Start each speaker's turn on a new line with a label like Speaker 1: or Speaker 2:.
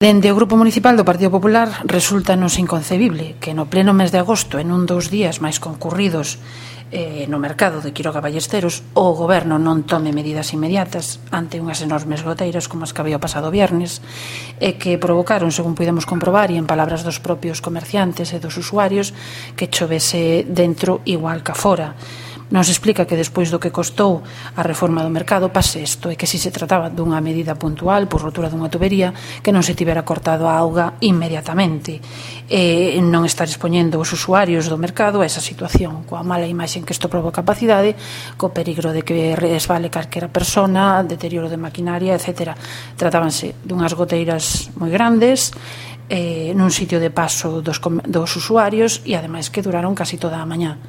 Speaker 1: Dende o Grupo Municipal do Partido Popular resulta-nos inconcebible que no pleno mes de agosto, en un dos días máis concurridos no mercado de Quiroga Ballesteros, o Goberno non tome medidas inmediatas ante unhas enormes goteiras como as que había o pasado viernes e que provocaron, según podemos comprobar, e en palabras dos propios comerciantes e dos usuarios, que chovese dentro igual que fora. Nos explica que despois do que costou a reforma do mercado pase isto, e que si se trataba dunha medida puntual por rotura dunha tubería, que non se tivera cortado a auga inmediatamente, e non estar expoñendo os usuarios do mercado a esa situación, coa mala imaxe que isto provoca a cidade, co peligro de que resvale calquera persona, deterioro de maquinaria, etc. Tratábanse dunhas goteiras moi grandes, nun sitio de paso dos usuarios, e ademais que duraron casi toda a mañá.